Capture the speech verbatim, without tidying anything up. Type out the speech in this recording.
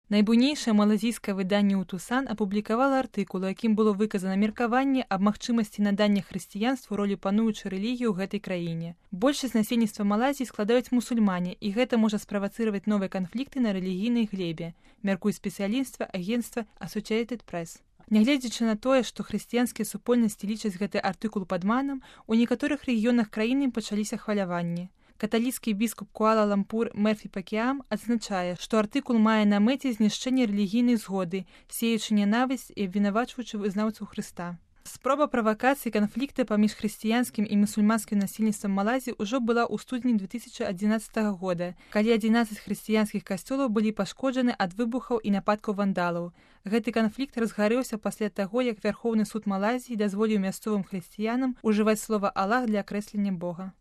Найбуйнейшае малазійскае выданне «Утусан» апублікавала артыкул, у якім было выказана меркаванне аб магчымасці надання хрысціянству ролі пануючай рэлігіі ў гэтай краіне. Большасць насельніцтва Малайзіі складаюць мусульмане, і гэта можа справацыраваць новыя канфлікты на рэлігійнай глебе, мяркуе спецыяліства агенцтва Associated Press. Нягледзячы на тое, што хрысціянскія супольнасці лічаць гэты артыкул падманам, у некаторых рэгіёнах краіны пачаліся хваляванні. Каталіцкі біскуп Куала-Лампур Мерфі Пакіам адзначае, што артыкул мае на мэце знішчэнне рэлігійнай згоды, сеючы нянавісць і абвінавачваючы вызнаўцаў Хрыста. Спроба правакацыі канфлікта паміж хрысціянскім і мусульманскім насельніцтвам Малайзіі ўжо была ў студзені две тысячы адзінаццатага года, калі адзінаццаць хрысціянскіх касцёлаў былі пашкоджаны ад выбухаў і нападкаў вандалаў. Гэты канфлікт разгарэўся пасля таго, як Вярхоўны суд Малайзіі дазволіў мясцовым хрысціянам ужываць слова «Аллах» для акрэслення Бога.